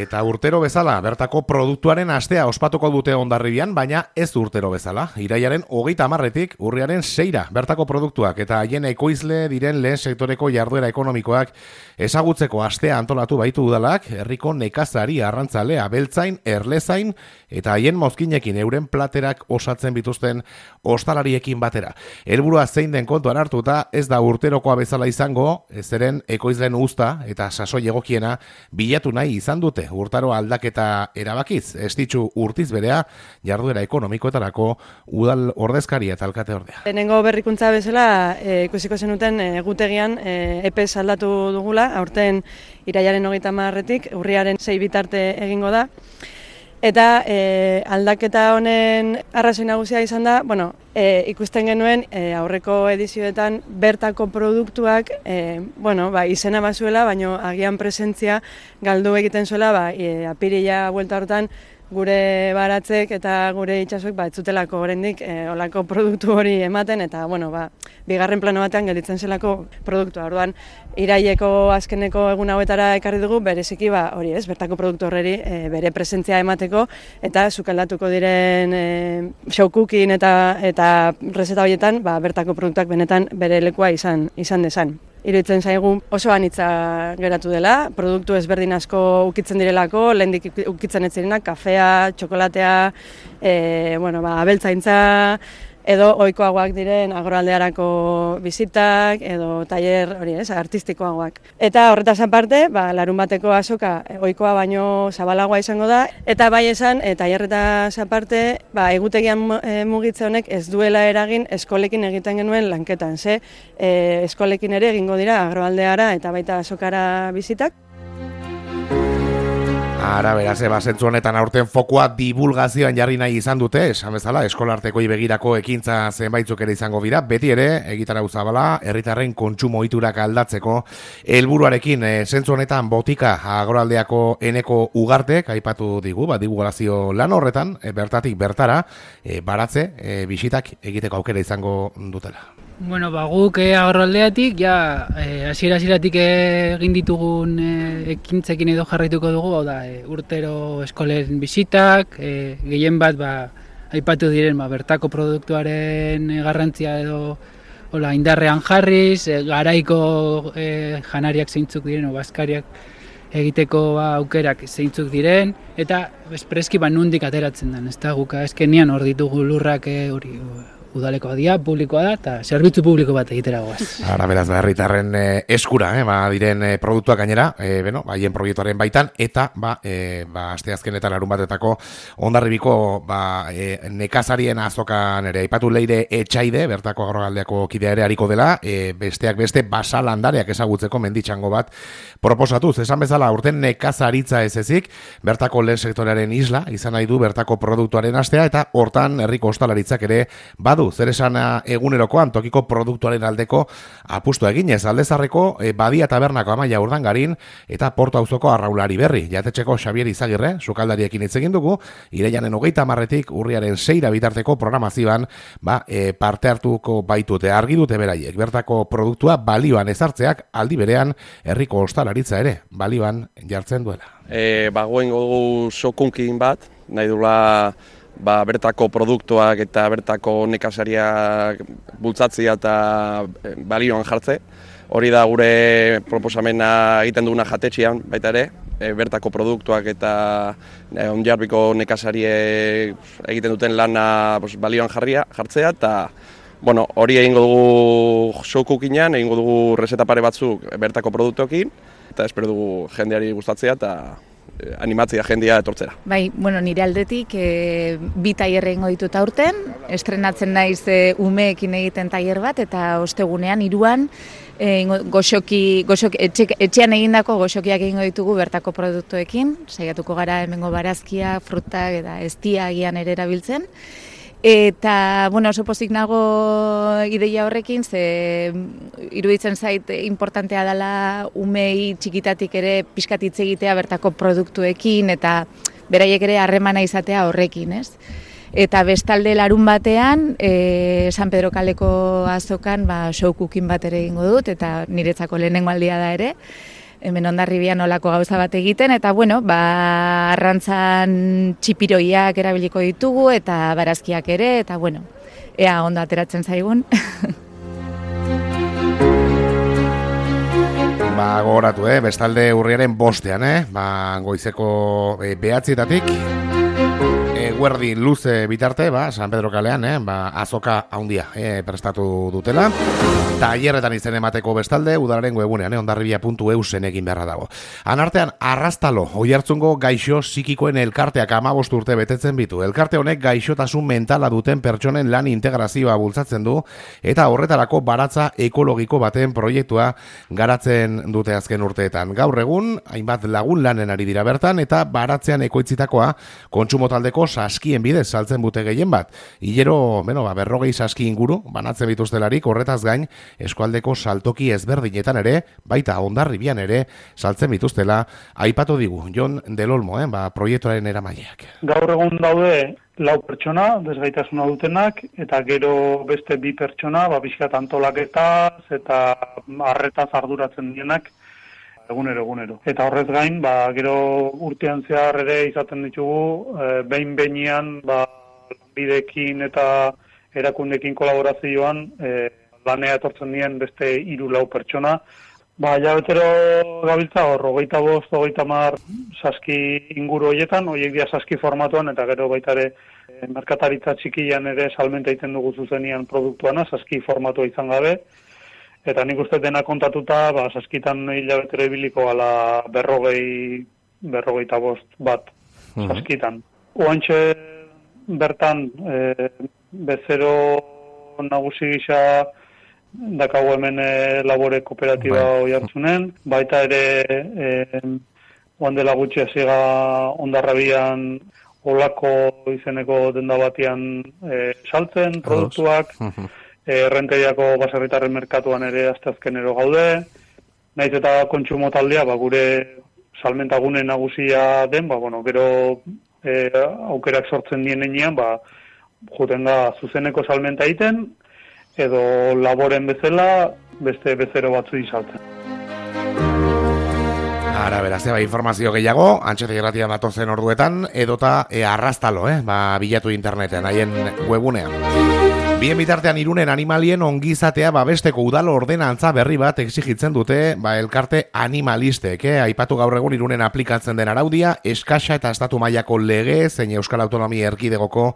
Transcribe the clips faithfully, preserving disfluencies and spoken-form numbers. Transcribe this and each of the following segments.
Eta urtero bezala, bertako produktuaren astea ospatuko dute Hondarribian, baina ez urtero bezala. Iraiaren hogeita hamarretik urriaren seira bertako produktuak eta haien ekoizle diren lehen sektoreko jarduera ekonomikoak ezagutzeko astea antolatu baitu udalak, herriko nekazari, arrantzale, abeltzain, erlezain eta haien mozkinekin euren platerak osatzen bituzten ostalariekin batera. Helburua zein den kontuan hartuta, ez da urterokoa bezala izango, zeren ekoizleen uzta eta sasoi egokiena bilatu nahi izan dute urtaro aldaketa erabakiz, ez ditzu urtiz berea jarduera ekonomikoetarako udal ordezkaria eta alkate ordea. Lehenengo berrikuntza bezala e, ikusiko zenuten egutegian e, epez aldatu dugula, aurten irailaren hogeita hamarretik urriaren sei bitarte egingo da. Eta e, aldaketa honen arrazoi nagusia izan da, bueno, e, ikusten genuen e, aurreko edizioetan bertako produktuak e, bueno, ba, izena bazuela, baina agian presentzia galdu egiten zuela, ba, e, apirila buelta hortan gure baratzek eta gure itsasoek ba, ez zutelako oraindik e, olako produktu hori ematen, eta bueno, ba, bigarren plano batean gelditzen zelako produktua. Orduan, iraileko azkeneko egun hauetara ekarri dugu, bereziki ba, hori ez, bertako produktu horreri e, bere presentzia emateko, eta sukaldatuko diren e, showcooking eta eta rezeta horietan ba, bertako produktuak benetan bere lekua izan izan dezan. Iruditzen zaigu oso anitza geratu dela, produktu ezberdin asko ukitzen direlako, lehendik ukitzen ez zirenak, kafea, txokolatea, e, bueno, ba, abeltzaintza, edo ohikoagoak diren agroaldearako bizitak, edo tailer hori ez, artistikoagoak. Eta horretaz aparte, ba, larun bateko azoka ohikoa baino zabalagoa izango da, eta bai esan, e, tailerretaz aparte, ba, egutegian e, mugitze honek ez duela eragin eskolekin egiten genuen lanketan, ze e, eskolekin ere egingo dira agroaldeara eta baita azokara bizitak. Ara, beraz, eba, zentzu honetan aurten fokua divulgazioan jarri nahi izan dute, esan bezala, eskolartekoi begirako ekintza zenbaitzuk ere izango dira, beti ere, egitarau zabala, herritarren kontsumo ohiturak aldatzeko helburuarekin, e, zentzu honetan botika agroaldeako eneko ugartek, aipatu digu, ba, divulgazio lan horretan, e, bertatik bertara, e, baratze, e, bisitak egiteko aukera izango dutela. Bueno, ba, guk eh, agroaldeatik, ja, hasiera-hasieratik eh, egin ditugun eh, ekintzekin edo jarraituko dugu, hau da, eh, urtero eskolen bisitak, eh, gehien bat, ba, aipatu diren, ba, bertako produktuaren eh, garrantzia edo hola, indarrean jarriz, eh, garaiko eh, janariak zeintzuk diren, o bazkariak egiteko ba, aukerak zeintzuk diren, eta espreski ba, nundik ateratzen den, ez da, guk azkenean hor ditugu lurrak hori, eh, udalekoa dia, publikoa da, eta zerbitzu publiko bat egitera goaz. Ara, beraz, herritarren eh, eskura, eh, ba, diren eh, produktuak gainera, eh, beno, haien proiektuaren baitan, eta, ba, eh, ba, asteazkenetan larun batetako Hondarribiko, ba, eh, nekazarien azokan ere, aipatu Leire Etxaide, bertako agroaldeako kidea ere hariko dela, eh, besteak beste basalandareak ezagutzeko menditxango bat proposatuz. Esan bezala, urten nekazaritza ez ezik, bertako lehen sektorearen isla, izan nahi du bertako produktuaren astea, eta hortan herriko ostalaritzak ere badu zer esana egunerokoan tokiko produktuaren aldeko apustu eginez, Aldezarreko e, Badia Tabernako Amaia Urdangarin eta Porto auzoko Arraulari Berri, jatetxeko Xabier Izagirre, sukaldariekin hitz egin dugu, irailanen hogeita hamarretik urriaren seira bitarteko programazioan ba, e, parte hartuko baitute, argi dute beraiek, bertako produktua balioan ezartzeak aldi berean herriko ostalaritza ere, balioan jartzen duela. E, Bagoen gogu sokunkin bat, nahi dula ba, bertako produktuak eta bertako nekazariak bultzatzea eta balioan jartze. Hori da gure proposamena egiten duguna jatetxean baita ere, e, bertako produktuak eta e, Hondarribiko nekazariek egiten duten lana pues, balioan jarria, jartzea, eta bueno, hori egingo dugu showcookingan, egingo dugu rezeta pare batzuk bertako produktuekin, eta espero dugu jendeari gustatzea eta animatzea jendia etortzera. Bai, bueno, nire aldetik e, bi tailer egingo ditut aurten, estrenatzen naiz e, umeekin egiten tailer bat, eta ostegunean hiruan e, goxoki, goxoki, etxe, etxean egindako goxokiak egingo ditugu bertako produktuekin, saiatuko gara hemengo barazkia, frutak eta eztia agian ere erabiltzen. Eta, bueno, oso pozik nago ideia horrekin, ze iruditzen zait importantea dela umei txikitatik ere pixkat hitz egitea bertako produktuekin eta beraiek ere harremana izatea horrekin, ez? Eta bestalde larun batean, e, San Pedro kaleko azokan ba, showcooking bat ere egingo dut, eta niretzako lehenengo aldia da ere. hemen Hondarribian olako gauza bat egiten, eta bueno, ba, arrantzan txipiroiak erabiliko ditugu, eta barazkiak ere, eta bueno, ea ondo ateratzen zaigun. Ba, gogoratu, eh? Bestalde urriaren bostean, eh? Ba, goizeko eh, behatzietatik, eguerdi luze bitarte, ba, San Pedro kalean, eh? Ba, azoka haundia eh? prestatu dutela. Tailerretan izen emateko bestalde, udalaren webunean, eh? hondarribia puntu eu zen egin beharra dago. Anartean, Arrastalo, Oiartzungo gaixo psikikoen elkarteak hamabost urte betetzen bitu. Elkarte honek gaixotasun mentala duten pertsonen lan integrazioa bultzatzen du, eta horretarako baratza ekologiko baten proiektua garatzen dute azken urteetan. Gaur egun, hainbat lagun lanen ari dira bertan, eta baratzean ekoitzitakoa kontsumo taldeko saskien bidez saltzen dute gehien bat. Hilero, bueno, ba, berrogei saski inguru, banatzen bituztelarik, horretaz gain, eskualdeko saltoki ezberdinetan ere, baita Hondarribian ere, saltzen bituztela, aipatu digu, Jon Del Olmo, eh, ba, proiektuaren eramaileak. Gaur egun daude lau pertsona, desgaitasuna dutenak, eta gero beste bi pertsona, ba, bizkat antolaketaz eta arretaz arduratzen dienak, egunero, egunero. Eta horrez gain, ba, gero urtean zehar ere izaten ditugu, e, behin-behinean, ba, bidekin eta erakundekin kolaborazioan, e, lanea etortzen dien beste hiru lau pertsona. Ba, ja betero gabiltza hor, hogeita bost, hogeita mar saski inguru horietan, horiek dia saski formatuan, eta gero baita ere e, merkataritza txikian ere salmenta egiten dugu zuzenian produktuana, saski formatua izan gabe. Eta nik uste dena kontatuta, ba, saskitan hilabetero ibiliko gala berrogei, berrogeita bost bat saskitan. Oantxe bertan e, bezero nagusi gisa dakago hemen e, labore kooperatiba Oiartzunen, baita ere e, oan dela gutxi hasiga Hondarribian olako izeneko denda batian e, saltzen produktuak, errenteriako baserritarren merkatuan ere asteazkenero gaude, naiz eta kontsumo taldea, ba, gure salmentagune nagusia den, ba, bueno, gero e, aukerak sortzen dien enean, ba, juten da zuzeneko salmenta egiten, edo laboren bezala beste bezero batzu izaltzen. Ara, beraz, eba, informazio gehiago, Antxete Irratia datozen orduetan, edota e, Arrastalo, eh? Ba, bilatu interneten, haien webunean. Bien bitartean Irunen animalien ongizatea babesteko udalo ordenantza berri bat exigitzen dute ba, elkarte animalistek. Eh? Aipatu gaur egun Irunen aplikatzen den araudia, eskasa eta estatu mailako lege zein Euskal Autonomia Erkidegoko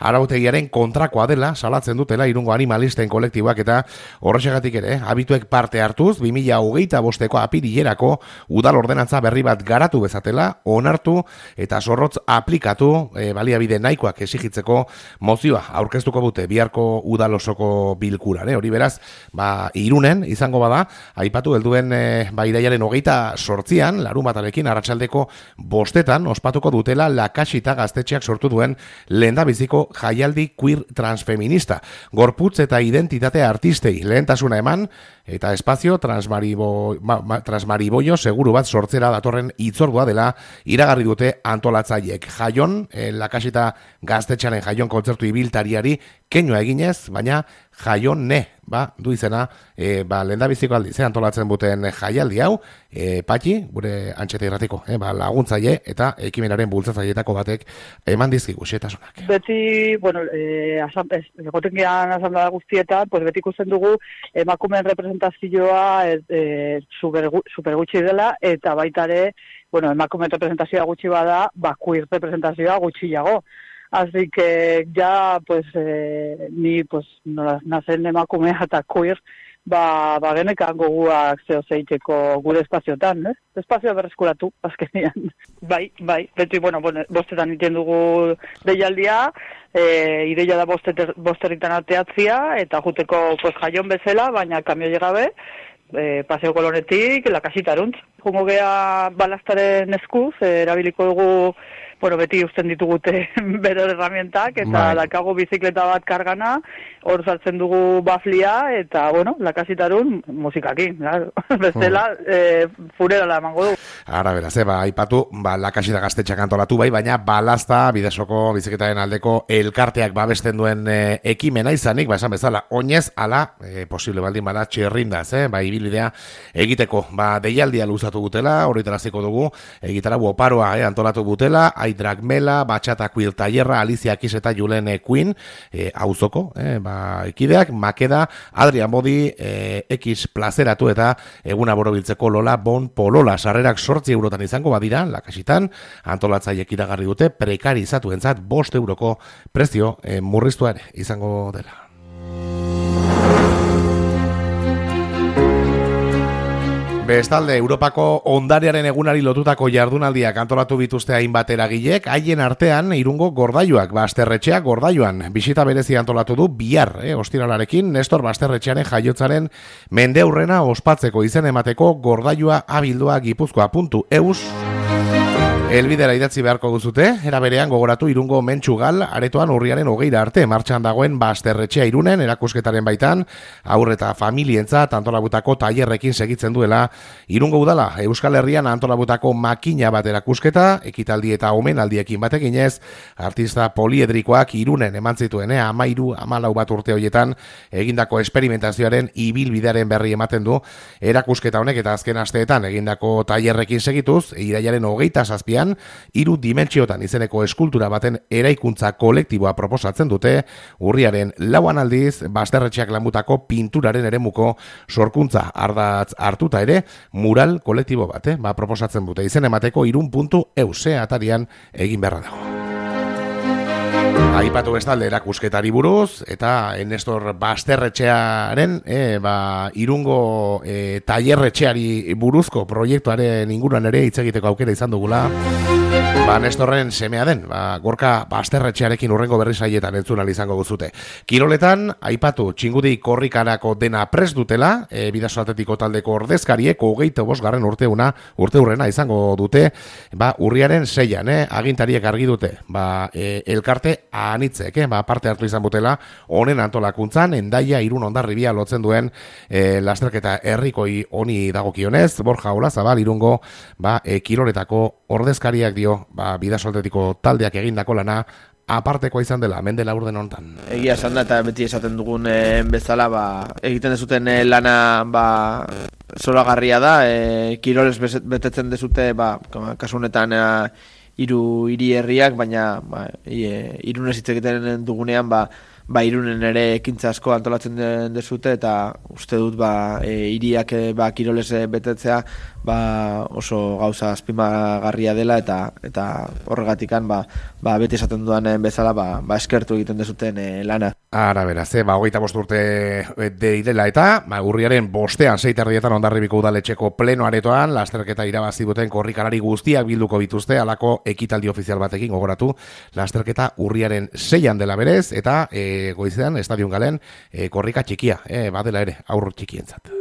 arautegiaren kontrakoa dela, salatzen dutela Irungo animalisten kolektiboak eta horrexegatik ere, abituek parte hartuz, bi mila hogeita bosteko apirilerako udal ordenantza berri bat garatu bezatela, onartu eta zorrotz aplikatu e, baliabide nahikoak exigitzeko mozioa aurkeztuko dute biharko udalosoko bilkuran, eh? Hori beraz, ba, Irunen izango bada, aipatu helduen e, ba, iraiaren hogeita sortzian, larun batarekin arratsaldeko bostetan, ospatuko dutela Lakasita gaztetxeak sortu duen lehendabiziko jaialdi queer transfeminista. Gorputz eta identitate artistei lehentasuna eman, eta espazio transmaribo, ma, ma, transmariboio seguru bat sortzera datorren itzordua dela iragarri dute antolatzaiek. Jaion, eh, Lakasita gaztetxearen jaion kontzertu ibiltariari keinua eginez, baina jaion ne, ba, du izena, e, ba, lehendabiziko aldi, ze antolatzen buten jaialdi hau, e, Patxi, gure Antxete Irratiko, e, ba, laguntzaile eta ekimenaren bultzatzailetako batek eman dizkigu xetasunak. Beti, bueno, e, egoten gehan asamblea guztietan, pues beti ikusten dugu emakumeen representazioa e, e, super, super gutxi dela, eta baita ere, bueno, emakumeen representazioa gutxi bada, ba, queer representazioa gutxiago. Así que ya, pues, eh, ni, pues, no, nazen emakumea eta queer, ba, ba genekan goguak zeo zeiteko gure espaziotan, eh? Espazioa berreskuratu, azkenean. Bai, bai, beti, bueno, bueno bostetan iten dugu deialdia, e, ideia da bosteter, bosterritan ateatzia, eta juteko, pues, jaion bezala, baina kamio llegabe, e, paseo kolonetik, Lakasita aruntz. Jungo gea balastaren eskuz, e, erabiliko dugu bueno, beti uzten ditugute bere herramientak, eta Bai. dakago bizikleta bat kargana, hor sartzen dugu baflia, eta, bueno, lakasitarun musikakin, claro. Bestela, mm. e, furerala emango du. Ara, beraz, eh, ba, aipatu, ba, lakasita gaztetxak antolatu bai, baina balazta, bidesoko bizikletaren aldeko elkarteak babesten duen e, ekimena izanik, ba, esan bezala, oinez, ala, e, posible baldin bada, txerrindaz, eh, ba, ibilidea egiteko, ba, deialdia luzatu gutela, horretaraziko dugu, egitara buoparoa, eh, antolatu gutela, Aidrak Mela, Batxata Quil Tailerra, Alicia Kis eta Julen Queen, e, auzoko, eh, ba, ekideak, Makeda, Adrian Bodi, e, X plazeratu eta eguna borobiltzeko Lola Bon Polola, sarrerak sortzi eurotan izango badira, lakasitan, antolatzaiek iragarri dute, prekarizatuentzat bost euroko prezio e, murriztua ere izango dela. Bestalde, Europako ondarearen egunari lotutako jardunaldiak antolatu bituzte hainbat eragilek, haien artean Irungo Gordailuak, Basterretxeak Gordailuan bisita berezi antolatu du bihar, eh, ostiralarekin, Nestor Basterretxearen jaiotzaren mendeurrena ospatzeko izen emateko Gordailua abildua gipuzkoa puntu eus. Elbidera idatzi beharko duzute, era berean gogoratu Irungo Mentxugal aretoan urriaren hogeira arte martxan dagoen Basterretxea Irunen erakusketaren baitan, aurre eta familientzat antolabutako tailerrekin segitzen duela Irungo Udala, Euskal Herrian antolabutako makina bat erakusketa, ekitaldi eta omenaldiekin batekin ez, artista poliedrikoak Irunen eman zituen, eh, amairu, amalau bat urte horietan egindako esperimentazioaren ibilbidearen berri ematen du, erakusketa honek eta azken asteetan egindako tailerrekin segituz, irailaren hogeita zazpian, hiru dimentsiotan izeneko eskultura baten eraikuntza kolektiboa proposatzen dute, urriaren lauan aldiz, Basterretxeak lanbutako pinturaren eremuko sorkuntza ardatz hartuta ere, mural kolektibo bat, eh? ba, proposatzen dute izen emateko irun puntu euse atarian egin beharra dago. Aipatu bestalde erakusketari buruz, eta Nestor Basterretxearen e, ba, Irungo e, tailerretxeari buruzko proiektuaren inguruan ere hitz egiteko aukera izan dugula. Ba, Nestorren semea den, ba, Gorka Basterretxearekin urrengo berri saietan entzun ahal izango guzute. Kiroletan, aipatu txingudi korrikarako dena prest dutela, e, Bidaso Atletiko taldeko ordezkariek hogeita bosgarren urteuna, urteurrena izango dute, ba, urriaren seian, eh, agintariek argi dute, ba, e, elkarte anitzek, eh, ba, parte hartu izan butela, honen antolakuntzan, Endaia Irun Hondarribia lotzen duen e, lasterketa herrikoi honi dagokionez, Borja Olazabal Irungo, ba, e, kiroletako ordezkariak dio, ba, Bidaso Atletiko taldeak egindako lana apartekoa izan dela, mende laurden honetan. Egia esan da, eta beti esaten dugun e, bezala, ba, egiten dezuten e, lana ba, zoragarria da, e, kiroles betetzen dezute, ba, kasu honetan e, hiru hiri herriak, baina ba, e, Irunez hitz egiten dugunean, ba, ba Irunen ere ekintza asko antolatzen dezute, eta uste dut ba e, hiriak e, ba kirolez betetzea ba oso gauza azpimagarria dela, eta eta horregatikan ba, ba beti esaten dudan bezala ba, ba eskertu egiten dezuten e, lana. Ara beraz, eh, ba hogeita bost urte direla eta ba urriaren bostean sei terdietan Hondarribiko udaletxeko pleno aretoan lasterketa irabazi duten korrikalari guztiak bilduko bituzte, halako ekitaldi ofizial batekin gogoratu. Lasterketa urriaren seian dela berez, eta e, goizean Estadion Galen e, korrika txikia, e, badela ere, aur txikientzat.